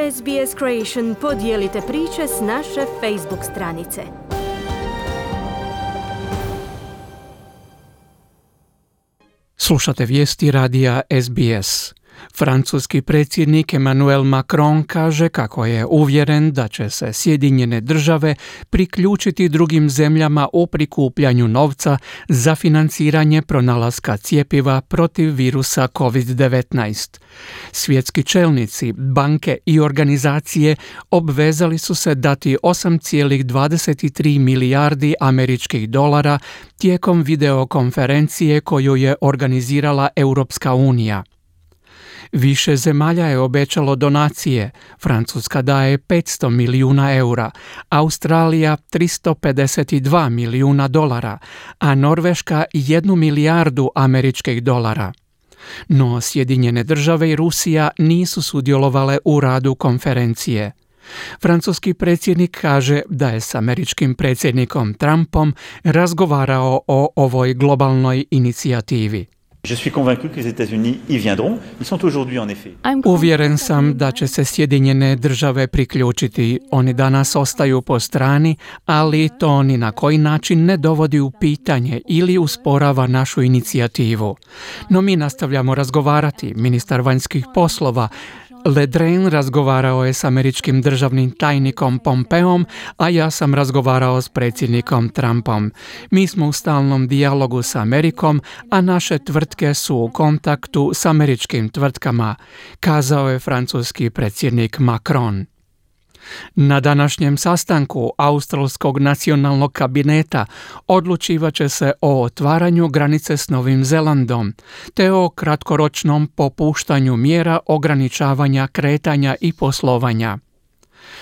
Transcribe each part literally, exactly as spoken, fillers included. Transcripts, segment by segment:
S B S Creation podijelite priče s naše Facebook stranice. Slušate vijesti radija S B S. Francuski predsjednik Emmanuel Macron kaže kako je uvjeren da će se Sjedinjene države priključiti drugim zemljama u prikupljanju novca za financiranje pronalaska cjepiva protiv virusa covid devetnaest. Svjetski čelnici, banke i organizacije obvezali su se dati osam zarez dvadeset tri milijardi američkih dolara tijekom videokonferencije koju je organizirala Europska unija. Više zemalja je obećalo donacije. Francuska daje petsto milijuna eura, Australija tristo pedeset dva milijuna dolara, a Norveška jednu milijardu američkih dolara. No Sjedinjene države i Rusija nisu sudjelovale u radu konferencije. Francuski predsjednik kaže da je s američkim predsjednikom Trumpom razgovarao o ovoj globalnoj inicijativi. Je suis convaincu que les États-Unis y viendront. Ils sont aujourd'hui en effet. Uvjeren sam da će se Sjedinjene države priključiti. Oni danas ostaju po strani, ali to ni na koji način ne dovodi u pitanje ili usporava našu inicijativu. No mi nastavljamo razgovarati. Ministar vanjskih poslova Le Drian razgovarao je s američkim državnim tajnikom Pompeom, a ja sam razgovarao s predsjednikom Trumpom. Mi smo u stalnom dijalogu s Amerikom, a naše tvrtke su u kontaktu s američkim tvrtkama, kazao je francuski predsjednik Macron. Na današnjem sastanku Australskog nacionalnog kabineta odlučivat će se o otvaranju granice s Novim Zelandom, te o kratkoročnom popuštanju mjera ograničavanja kretanja i poslovanja.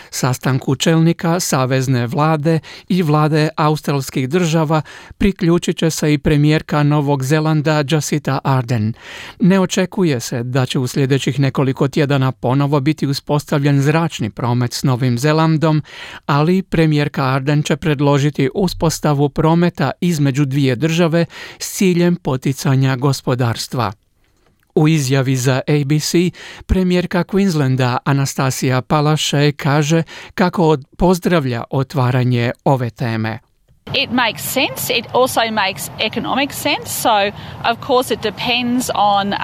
Sastanku čelnika savezne vlade i vlade australskih država priključit će se i premijerka Novog Zelanda Jacinda Ardern. Ne očekuje se da će u sljedećih nekoliko tjedana ponovo biti uspostavljen zračni promet s Novim Zelandom, ali premijerka Ardern će predložiti uspostavu prometa između dvije države s ciljem poticanja gospodarstva. U izjavi za A B C, premijerka Queenslanda Anastasia Palaszczuk kaže kako pozdravlja otvaranje ove teme. It makes sense. It also makes economic sense. So, of course, it depends on uh,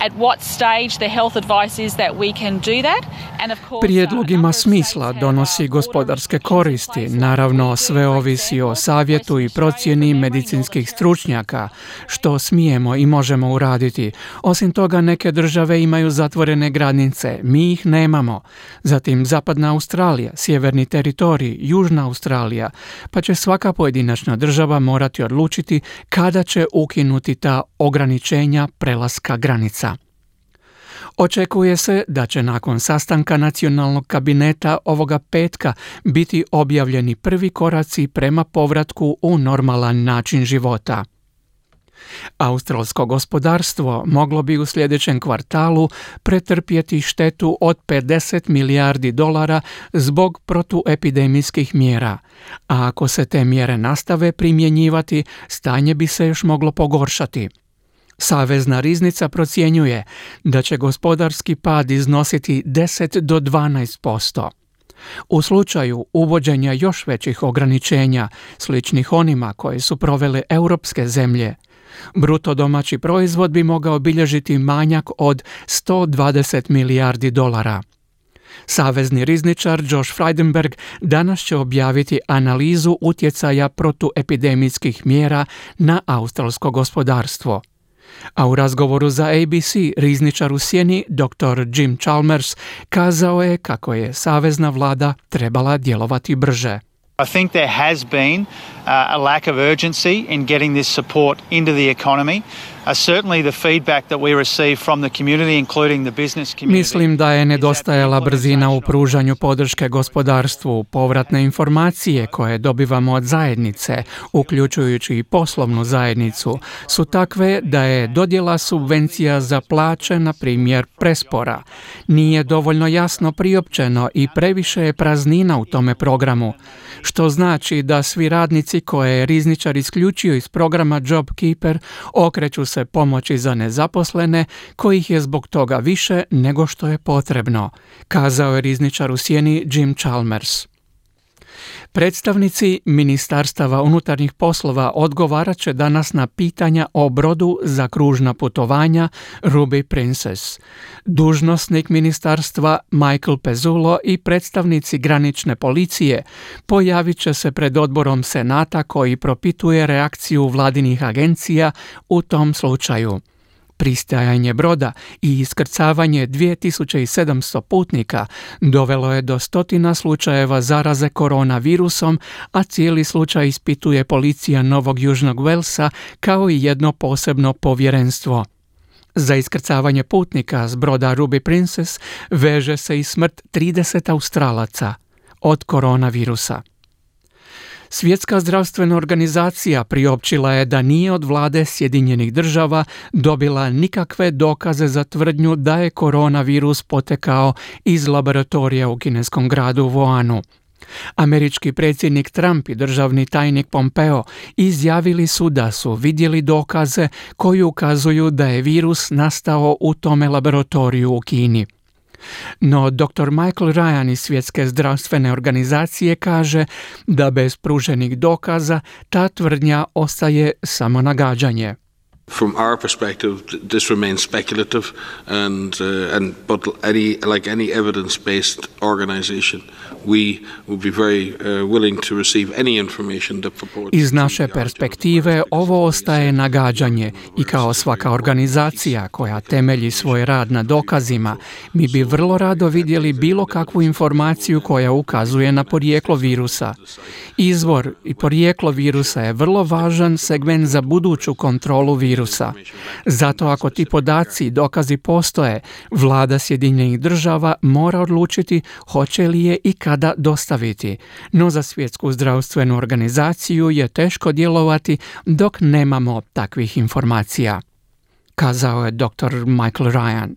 at what stage the health advice is that we can do that. And of course, prijedlog ima smisla, donosi gospodarske koristi. Naravno, sve ovisi o savjetu i procjeni medicinskih stručnjaka, što smijemo i možemo uraditi. Osim toga, neke države imaju zatvorene granice, mi ih nemamo. Zatim Zapadna Australija, Sjeverni teritorij, Južna Australija, pa će svaka pojedinačna država morati odlučiti kada će ukinuti ta ograničenja prelaska granica. Očekuje se da će nakon sastanka nacionalnog kabineta ovoga petka biti objavljeni prvi koraci prema povratku u normalan način života. Australsko gospodarstvo moglo bi u sljedećem kvartalu pretrpjeti štetu od pedeset milijardi dolara zbog protuepidemijskih mjera, a ako se te mjere nastave primjenjivati, stanje bi se još moglo pogoršati. Savezna riznica procjenjuje da će gospodarski pad iznositi deset do dvanaest posto. U slučaju uvođenja još većih ograničenja, sličnih onima koje su provele europske zemlje, bruto domaći proizvod bi mogao bilježiti manjak od sto dvadeset milijardi dolara. Savezni rizničar Josh Frydenberg danas će objaviti analizu utjecaja protuepidemijskih mjera na australsko gospodarstvo. A u razgovoru za A B C rizničar u sjeni doktor Jim Chalmers kazao je kako je savezna vlada trebala djelovati brže. I think there has been uh, a lack of urgency in getting this support into the economy. Uh, certainly the feedback that we receive from the community, including the business community. Mislim da je nedostajala brzina u pružanju podrške gospodarstvu. Povratne informacije koje dobivamo od zajednice, uključujući i poslovnu zajednicu, su takve da je dodjela subvencija za plaće, na primjer, prespora. Nije dovoljno jasno priopćeno i previše je praznina u tome programu, što znači da svi radnici koje je rizničar isključio iz programa JobKeeper okreću se pomoći za nezaposlene, kojih je zbog toga više nego što je potrebno, kazao je rizničar u sjeni Jim Chalmers. Predstavnici Ministarstava unutarnjih poslova odgovarat će danas na pitanja o brodu za kružna putovanja Ruby Princess. Dužnosnik ministarstva Michael Pezzulo i predstavnici granične policije pojavit će se pred odborom Senata koji propituje reakciju vladinih agencija u tom slučaju. Pristajanje broda i iskrcavanje dvije tisuće sedamsto putnika dovelo je do stotina slučajeva zaraze koronavirusom, a cijeli slučaj ispituje policija Novog Južnog Walesa kao i jedno posebno povjerenstvo. Za iskrcavanje putnika s broda Ruby Princess veže se i smrt trideset Australaca od koronavirusa. Svjetska zdravstvena organizacija priopćila je da nije od vlade Sjedinjenih država dobila nikakve dokaze za tvrdnju da je koronavirus potekao iz laboratorija u kineskom gradu Wuhanu. Američki predsjednik Trump i državni tajnik Pompeo izjavili su da su vidjeli dokaze koji ukazuju da je virus nastao u tome laboratoriju u Kini. No doktor Michael Ryan iz Svjetske zdravstvene organizacije kaže da bez pruženih dokaza ta tvrdnja ostaje samo nagađanje. From our perspective, this remains speculative, and uh, and but any like any evidence-based organization, we would be very uh, willing to receive any information that purports. Iz naše perspektive ovo ostaje nagađanje i kao svaka organizacija koja temelji svoj rad na dokazima, mi bi vrlo rado vidjeli bilo kakvu informaciju koja ukazuje na porijeklo virusa. Izvor i porijeklo virusa je vrlo važan segment za buduću kontrolu virusa. Zato ako ti podaci i dokazi postoje, vlada Sjedinjenih država mora odlučiti hoće li je i kada dostaviti. No za Svjetsku zdravstvenu organizaciju je teško djelovati dok nemamo takvih informacija, kazao je doktor Michael Ryan.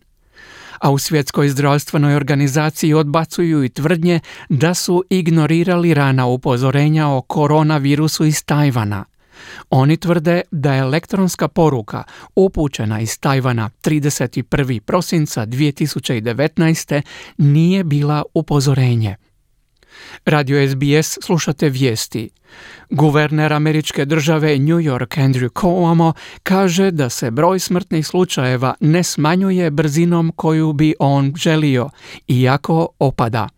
A u Svjetskoj zdravstvenoj organizaciji odbacuju i tvrdnje da su ignorirali rana upozorenja o koronavirusu iz Tajvana. Oni tvrde da je elektronska poruka upućena iz Tajvana trideset prvog prosinca dvije tisuće devetnaeste nije bila upozorenje. Radio S B S slušate vijesti. Guverner američke države New York Andrew Cuomo kaže da se broj smrtnih slučajeva ne smanjuje brzinom koju bi on želio, iako opada.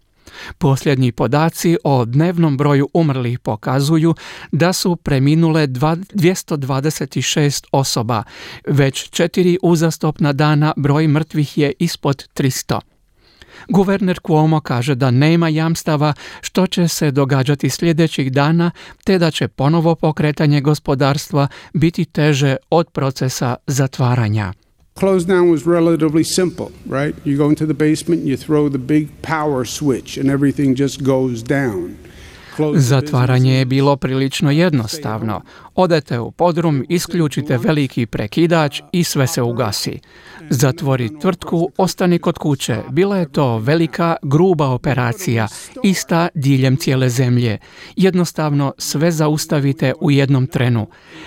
Posljednji podaci o dnevnom broju umrlih pokazuju da su preminule dvjesto dvadeset šest osoba, već četiri uzastopna dana broj mrtvih je ispod tristo. Guverner Cuomo kaže da nema jamstava što će se događati sljedećih dana, te da će ponovo pokretanje gospodarstva biti teže od procesa zatvaranja. Close down was relatively simple, right? You go into the basement, you throw the big power switch and everything just goes down. Zatvaranje je bilo prilično jednostavno. Odete u podrum, isključite veliki prekidač i sve se ugasi. Zatvori tvrtku, ostani kod kuće. Bila je to velika, gruba operacija, ista diljem cijele zemlje. Jednostavno sve zaustavite u jednom trenu.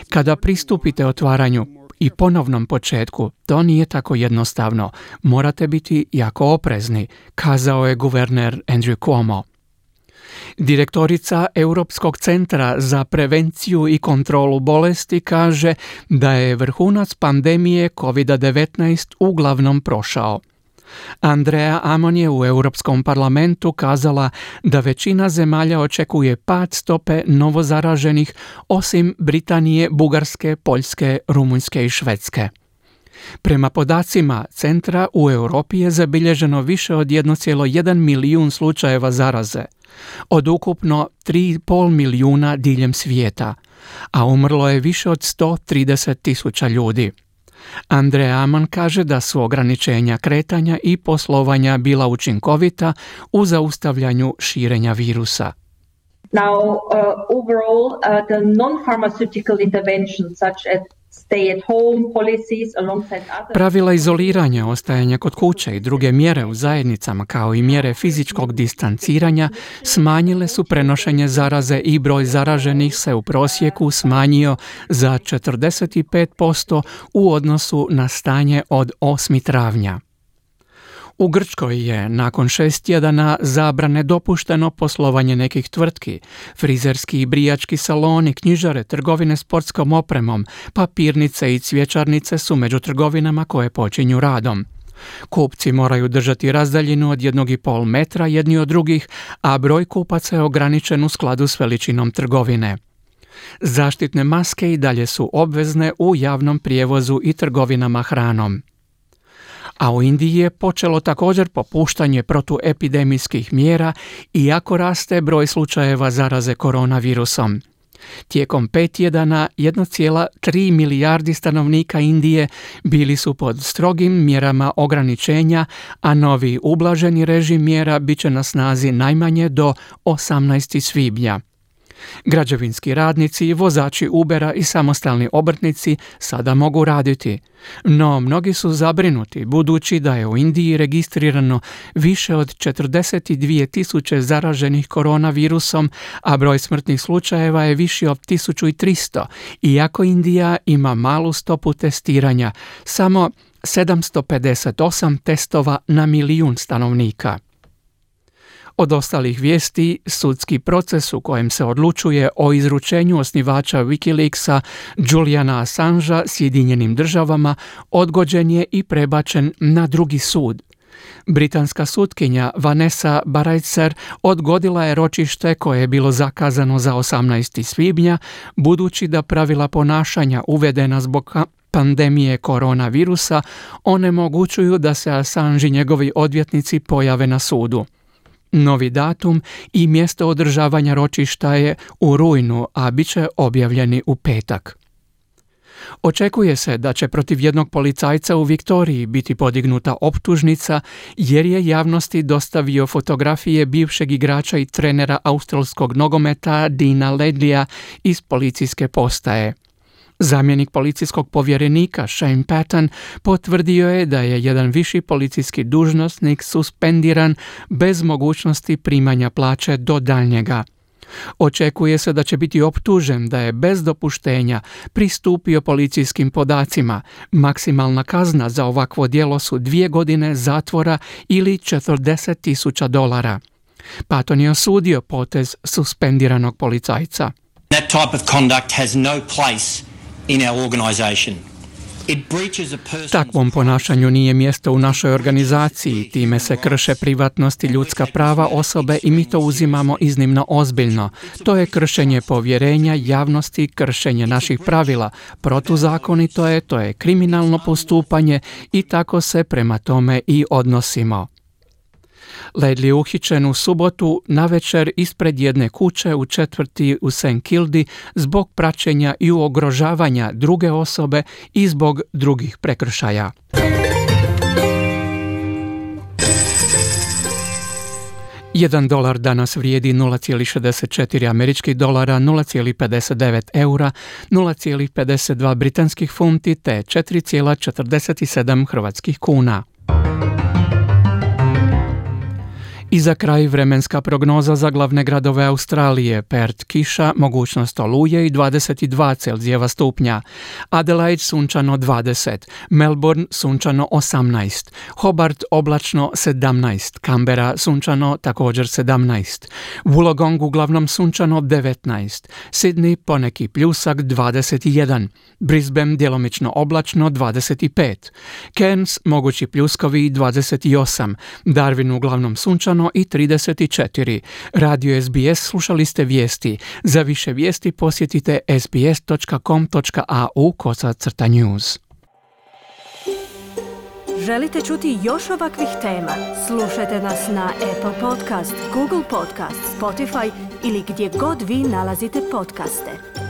Kada pristupite otvaranju i ponovnom početku, to nije tako jednostavno. Morate biti jako oprezni, kazao je guverner Andrew Cuomo. Direktorica Europskog centra za prevenciju i kontrolu bolesti kaže da je vrhunac pandemije kovid devetnaest uglavnom prošao. Andrea Amon je u Europskom parlamentu kazala da većina zemalja očekuje pad stope novozaraženih osim Britanije, Bugarske, Poljske, Rumunjske i Švedske. Prema podacima centra u Europi je zabilježeno više od jedan zarez jedan milijun slučajeva zaraze, od ukupno tri zarez pet milijuna diljem svijeta, a umrlo je više od sto trideset tisuća ljudi. Andrea Amon kaže da su ograničenja kretanja i poslovanja bila učinkovita u zaustavljanju širenja virusa. Now, uh, overall, uh, the non-pharmaceutical interventions such as Pravila izoliranja, ostajanja kod kuće i druge mjere u zajednicama kao i mjere fizičkog distanciranja smanjile su prenošenje zaraze i broj zaraženih se u prosjeku smanjio za četrdeset pet posto u odnosu na stanje od osmog travnja. U Grčkoj je nakon šest tjedana zabrane dopušteno poslovanje nekih tvrtki, frizerski i brijački saloni, knjižare, trgovine sportskom opremom, papirnice i cvjećarnice su među trgovinama koje počinju radom. Kupci moraju držati razdaljinu od jednog i pol metra jedni od drugih, a broj kupaca je ograničen u skladu s veličinom trgovine. Zaštitne maske i dalje su obvezne u javnom prijevozu i trgovinama hranom. A u Indiji je počelo također popuštanje protuepidemijskih mjera iako raste broj slučajeva zaraze koronavirusom. Tijekom pet tjedana jedna zarez tri milijardi stanovnika Indije bili su pod strogim mjerama ograničenja, a novi ublaženi režim mjera bit će na snazi najmanje do osamnaestog svibnja. Građevinski radnici, vozači Ubera i samostalni obrtnici sada mogu raditi, no mnogi su zabrinuti budući da je u Indiji registrirano više od četrdeset dvije tisuće zaraženih koronavirusom, a broj smrtnih slučajeva je viši od tisuću tristo, iako Indija ima malu stopu testiranja, samo sedamsto pedeset osam testova na milijun stanovnika. Od ostalih vijesti, sudski proces u kojem se odlučuje o izručenju osnivača Wikileaksa Juliana Assangea Sjedinjenim državama odgođen je i prebačen na drugi sud. Britanska sutkinja Vanessa Baraitser odgodila je ročište koje je bilo zakazano za osamnaestog svibnja, budući da pravila ponašanja uvedena zbog pandemije koronavirusa onemogućuju da se Assange i njegovi odvjetnici pojave na sudu. Novi datum i mjesto održavanja ročišta je u rujnu, a bit će objavljeni u petak. Očekuje se da će protiv jednog policajca u Viktoriji biti podignuta optužnica jer je javnosti dostavio fotografije bivšeg igrača i trenera australskog nogometa Deana Ledleya iz policijske postaje. Zamjenik policijskog povjerenika Shane Patton potvrdio je da je jedan viši policijski dužnosnik suspendiran bez mogućnosti primanja plaće do daljnjega. Očekuje se da će biti optužen da je bez dopuštenja pristupio policijskim podacima. Maksimalna kazna za ovakvo djelo su dvije godine zatvora ili četrdeset tisuća dolara. Patton je osudio potez suspendiranog policajca. That type of conduct has no place in our organization. Takvom ponašanju nije mjesto u našoj organizaciji, time se krše privatnost i ljudska prava osobe i mi to uzimamo iznimno ozbiljno. To je kršenje povjerenja javnosti, kršenje naših pravila, protuzakonito je, to je kriminalno postupanje i tako se prema tome i odnosimo. Ledley je uhićen u subotu navečer ispred jedne kuće u četvrti u Saint Kilda zbog praćenja i ugrožavanja druge osobe i zbog drugih prekršaja. Jedan dolar danas vrijedi nula zarez šezdeset četiri američkih dolara, nula zarez pedeset devet eura, nula zarez pedeset dva britanskih funti te četiri zarez četrdeset sedam hrvatskih kuna. I za kraj vremenska prognoza za glavne gradove Australije. Perth kiša, mogućnost oluje i dvadeset dva Celzijeva stupnja. Adelaide sunčano dvadeset, Melbourne sunčano osamnaest, Hobart oblačno sedamnaest, Canberra sunčano također sedamnaest, Wollongong uglavnom sunčano devetnaest, Sydney poneki pljusak dvadeset jedan, Brisbane djelomično oblačno dvadeset pet, Cairns mogući pljuskovi dvadeset osam, Darwin uglavnom sunčano i trideset četiri. Radio S B S slušali ste vijesti. Za više vijesti posjetite s b s dot com dot a u kosacrta news. Želite čuti još ovakvih tema? Slušajte nas na Apple Podcast, Google Podcast, Spotify ili gdje god vi nalazite podcaste.